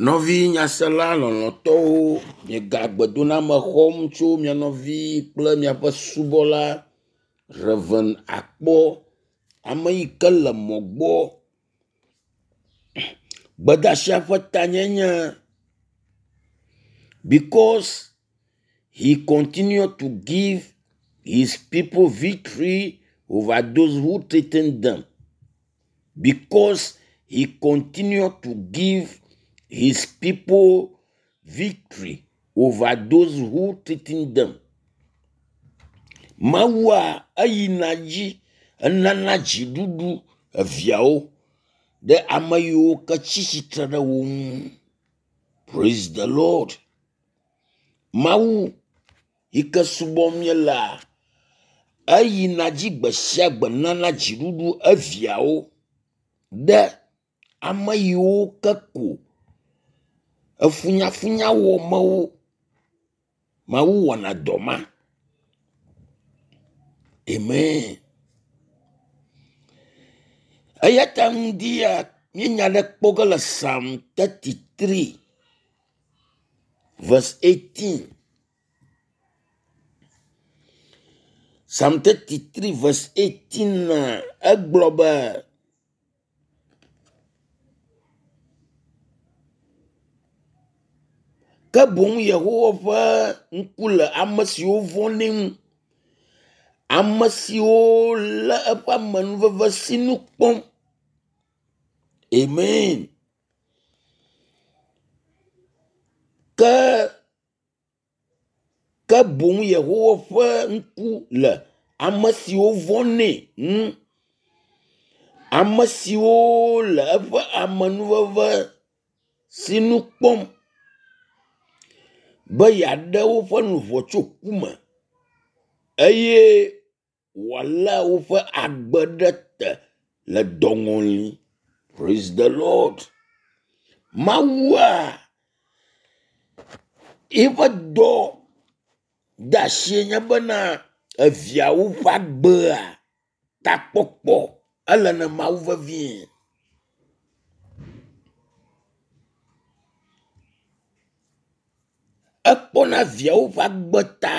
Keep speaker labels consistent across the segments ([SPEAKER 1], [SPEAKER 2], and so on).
[SPEAKER 1] Nɔvi nyasela lɔlɔ̃tɔwo, miega gbedoname xɔm tso mia nɔvi kple miaƒe subɔla Rev. Akpɔ, ame yi ke le mɔ gbɔ. Gbedeasia ƒe tanye nye because he continue to give his people victory over those who threaten them. Because he continue to give his people victory over those who threaten them. Mawua eyina dzi enana dziɖuɖu eviawo ɖe ame yiwo ke tsi tsitre ɖe wo ŋu. Praise the Lord. Mawu yi ke subɔm míelea, eyina dzi gbe sia gbe nana dziɖuɖu eviawo ɖe ame yiwo ke ko efunyafunya wɔm wo. Mawu wɔna dɔ ma. Amen. Eya ta ŋdi ya míenya ɖe kpɔ ge le Psalm 33 verse 18. Psalm 33 verse 18 na egblɔ be ke boŋ Yehowa ƒe ŋku le ame siwo vɔ̃nɛ ŋu, ame siwo lé eƒe amenuveve sinu kpɔm. Amen. Ke ke boŋ Yehowa ƒe ŋku le ame siwo vɔ̃nɛ ŋu, ame siwo le eƒe amenuveve sinu kpɔm be yeaɖe woƒe luʋɔ tso ku me eye wòalé woƒe agbe ɖe te le dɔŋɔli. Praise the Lord. Mawua eƒe dɔ de asie nye bena eviawo ƒe agbea takpɔkpɔ ele na Mawu vevie. Ekpɔna viawo ƒe agbe ta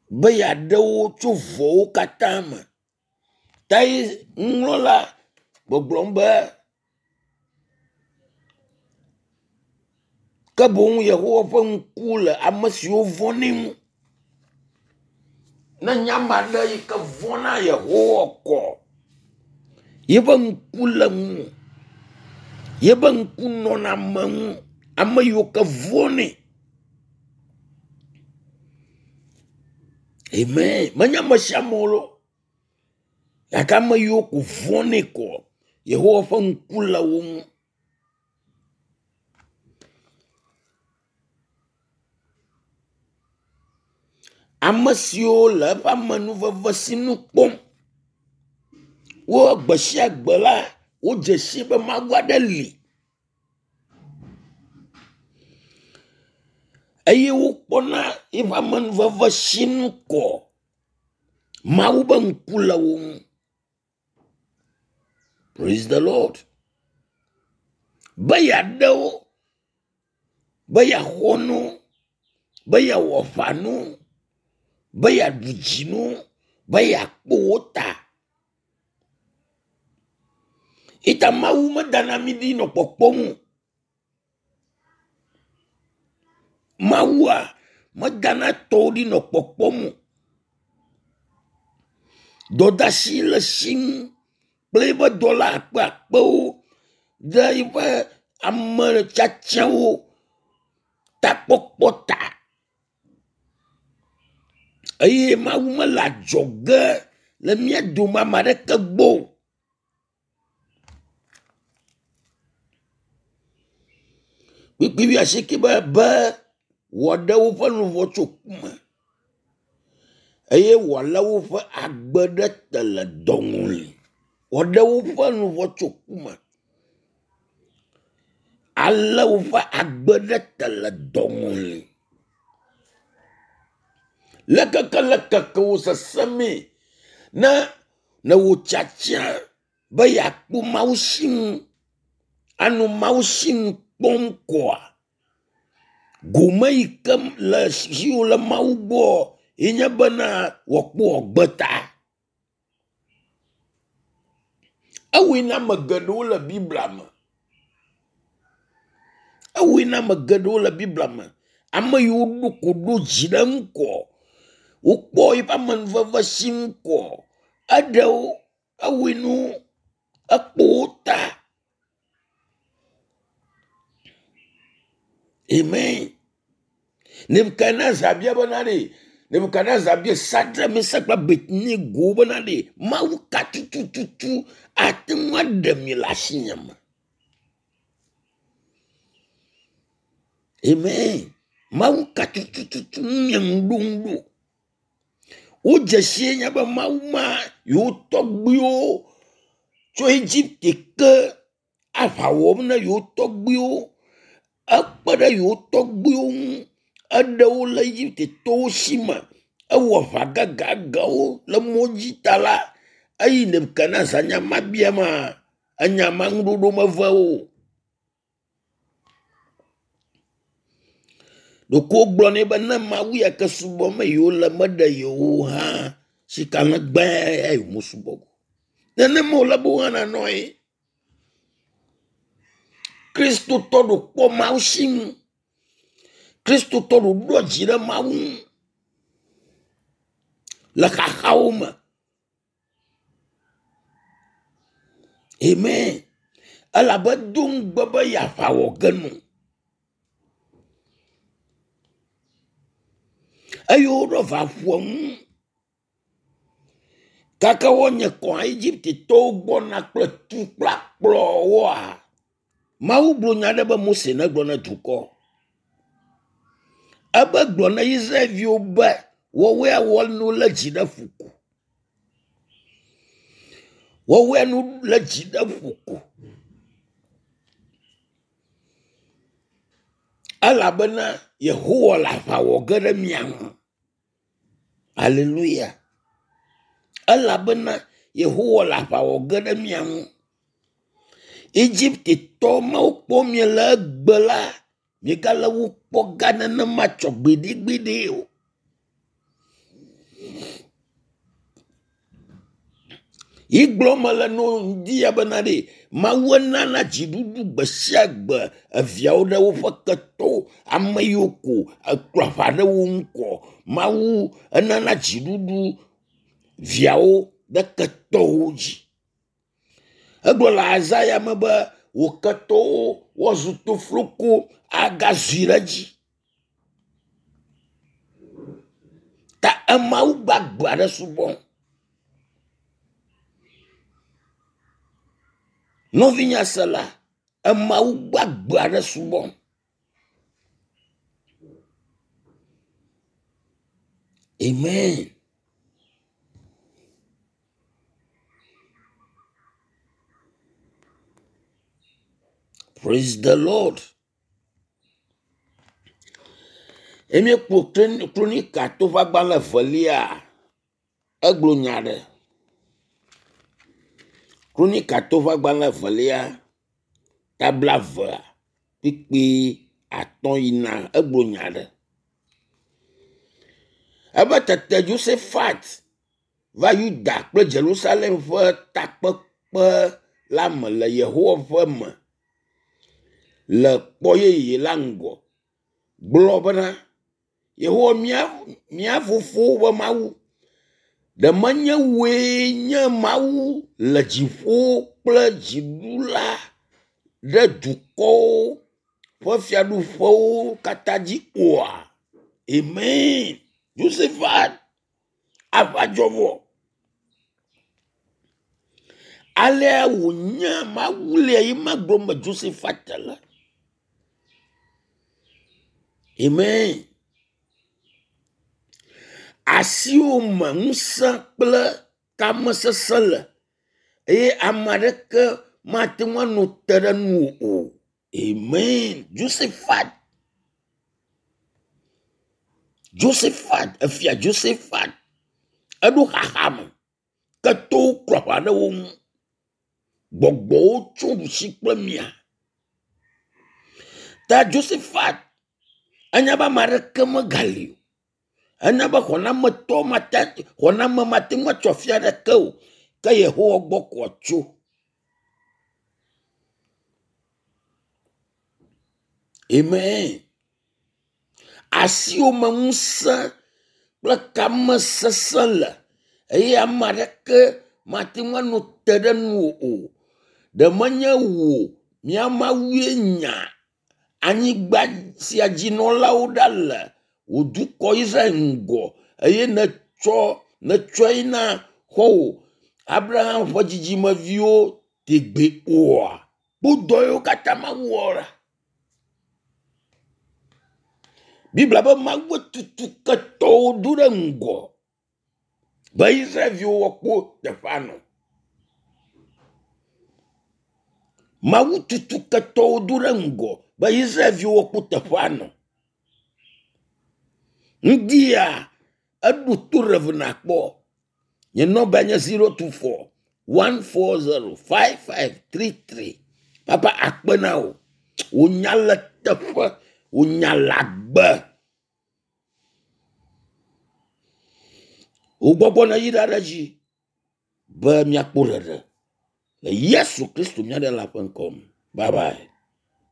[SPEAKER 1] be yeaɖe wo tso vɔ̃wo katã me. Ta ye nuŋlɔla gbɔgblɔm be ke boŋ Yehowa ƒe ŋku le ame siwo vɔ̃nɛ ŋu. Ne nye ame aɖe yi ke vɔ̃na Yehowa kɔ, yeƒe ŋku le ŋu, yeƒe ŋku nɔna ame ŋu, ame yiwo ke vɔ̃nɛ. Amen. Menye ame sia ame o gake ame yiwo ko vɔ̃nɛ kɔ, Yehowa ƒe ŋku le wo ŋu. Ame siwo le eƒe amenuveve sinu kpɔm. Wo gbe sia gbe la, wodze si be Mawu aɖe li eye wokpɔna eƒe amenuveve sinu kɔ. Mawu be ŋku le wo ŋu. Praise the Lord. Be yeaɖe wo, be yeaxɔ nu, be yeawɔ aʋa nu, be yeaɖu dzi nu, be yeakpɔ wo ta. Ita Mawu medana mí ɖi nɔ kpɔkpɔm o. Mawua medana tɔwo ɖi nɔ kpɔkpɔm o. Dɔdeasi le esi ŋu kple eƒe dɔla akpeakpewo ɖe eƒe ame tiatiawo takpɔkpɔ ta. Eye Mawu mele adzɔge le mía dome ame aɖeke gbɔ o. Kpukpui wuiasieke be be wòaɖe woƒe luʋɔ tso ku me eye wòalé woƒe agbe ɖe te le dɔŋɔli. Wòaɖe woƒe luʋɔ tso ku me. Alé woƒe agbe ɖe te le dɔŋɔli. Le keke le keke wò sesẽmee ne ne wò tiatia be yeakpɔ Mawu sinu. Anɔ Mawu sinu kpɔm koa, gome yi ke le siwò le Mawu gbɔ ye nye bena wòakpɔ wò ta. Ewɔe na ame geɖewo le Biblia me. Ewɔe na ame geɖewo le Biblia me. Ame yiwo ɖo ko ɖo dzi ɖe eŋu koa, wokpɔ eƒe amenuveve si ŋu koa, eɖe wo, ewɔe na wo, ekpɔ wo ta. Amen. Nebukadnezar bia bena ɖe, Nebukadnezar bia Sadrak, Mesak kple Abednego bena ɖe, Mawu ka tutututu ate ŋu aɖe mi le asinye me? Amen. Mawu ka tutututu mia ŋu ɖo ŋu ɖo? Wodze sie nye be Mawu ma yewo tɔgbuiwo tso Egipte ke aʋa wɔm na yewo tɔgbuiwo. Ekpe ɖe yewo tɔgbuiwo ŋu. Eɖe wo le Egiptetɔwo si me. Ewɔ aʋa gãgãgãwo le mɔ dzi ta la, eyi Nebukadnezar nya ma bia ma, enya ma ŋuɖoɖo meve wo o. Ɖeko wogblɔ nɛ be ne Mawu ya ke subɔm yewole meɖe yewo hã sika legbe ya yewomesubɔ o. Nenema wòle be wohã nanɔ ye. Kristotɔ ɖo kpɔ Mawu si ŋu. Kristotɔ ɖo ɖoa dzi ɖe Mawu ŋu le xaxawo me. Amen. Elabe do ŋugbe be yeaʋa wɔ ge nu. Eye woɖo va ƒua ŋu. Gake wonye kɔ Egiptetɔwo gbɔna kple tu kple akplɔwoa, Mawu gblɔ nya aɖe be Mose negblɔ na dukɔ. Ebe gblɔ na Israelviwo be woawoe awɔ nu le dzi ɖe ƒo ko. Woawoe nu le dzi ɖe ƒo ko. Elabena Yehowa le aʋa wɔ ge ɖe mia ŋu. Aleluya. Elabena Yehowa le aʋa wɔ ge ɖe mia ŋu. Egiptetɔ mawo kpɔ miele egbe la, miegale wo kpɔ gã nenema tsɔ gbeɖegbeɖe o. Yi gblɔm mele no ŋdi ya bena ɖe Mawu enana dziɖuɖu gbe sia gbe eviawo ɖe woƒe ketɔwo, ame yiwo ko ekplɔ aʋa ɖe wo ŋu kɔ. Mawu enana dziɖuɖu viawo ɖe ketɔwo dzi. Egblɔ le Isaiah me be wò ketɔwo woazu tofloko agazui ɖe edzi. Ta emawu gbagbe aɖe subɔm. Nɔvinye sela, emawu gbagbe aɖe subɔm. Amen. Praise the Lord. Emi kpɔ Kronika to ƒe agbalẽ evelia, egblɔ nya aɖe. Kronika to ƒe agbalẽ evelia, ta blaeve kpukpui atɔ̃ yina egblɔ nya aɖe. Ebe tete Yosafat va Yuda kple Yerusalem ƒe takpekpe la me le Yehowa ƒe me le kpɔ yeye la ŋgɔ gblɔ bena, Yehowa mía, mía fofowo ƒe Mawu, ɖe menye wòe nye Mawu le dziƒo kple dziɖula ɖe dukɔwo ƒe fiaɖuƒewo katã dzi oa? Amen. Josephat aʋa dzɔ vɔ. Alea wònye Mawu lia ye ma gblɔm be Josephat le. Amen. Asiwò me ŋusẽ kple tamesesẽ le eye ame aɖeke mate ŋu anɔ te ɖe nuwò o. Amen. Josephat. Josephat, efia Josephat eɖo xaxa me. Ketɔwo klɔ aʋa ɖe wo ŋu. Gbɔgbɔwo tso ɖusi kple mia. Ta Josephat enya be ame aɖeke megali o. Enya be xɔnametɔ mate xɔname mate ŋu atsɔ afi aɖeke o. Ke Yehowa gbɔ ko wòatso. Amen. Asiwò me ŋusẽ kple kamesesẽ le eye ame aɖeke mate ŋu anɔ te ɖe nuwò o. Ɖe menye wò mía Mawue nya anyigba sia dzinɔlawo ɖa le wò dukɔ Israel ŋgɔ eye nètsɔ nètsɔe na xɔ̃wò Abraham ƒe dzidzimeviwo tegbee oa? Kpɔ dɔ yiwo katã Mawu wɔ ɖa. Biblia be Mawu tutu ketɔwo do ɖe ŋgɔ be Israelviwo woakpɔ teƒea nɔ. Mawu tutu ketɔwo do ɖe ŋgɔ be Israelviwo woakpɔ teƒea nɔ. Ŋdia eɖo to Rev nakpɔ. Nye nɔmba nye 024 140 5533. Papa akpe na wò. Wò nya le teƒe, wò nya le agbe. Wò gbɔgbɔ neyi ɖa ɖe edzi be míakpɔ ɖeɖe le Yesu Kristo mía Ɖela ƒe ŋkɔ me. Bye bye.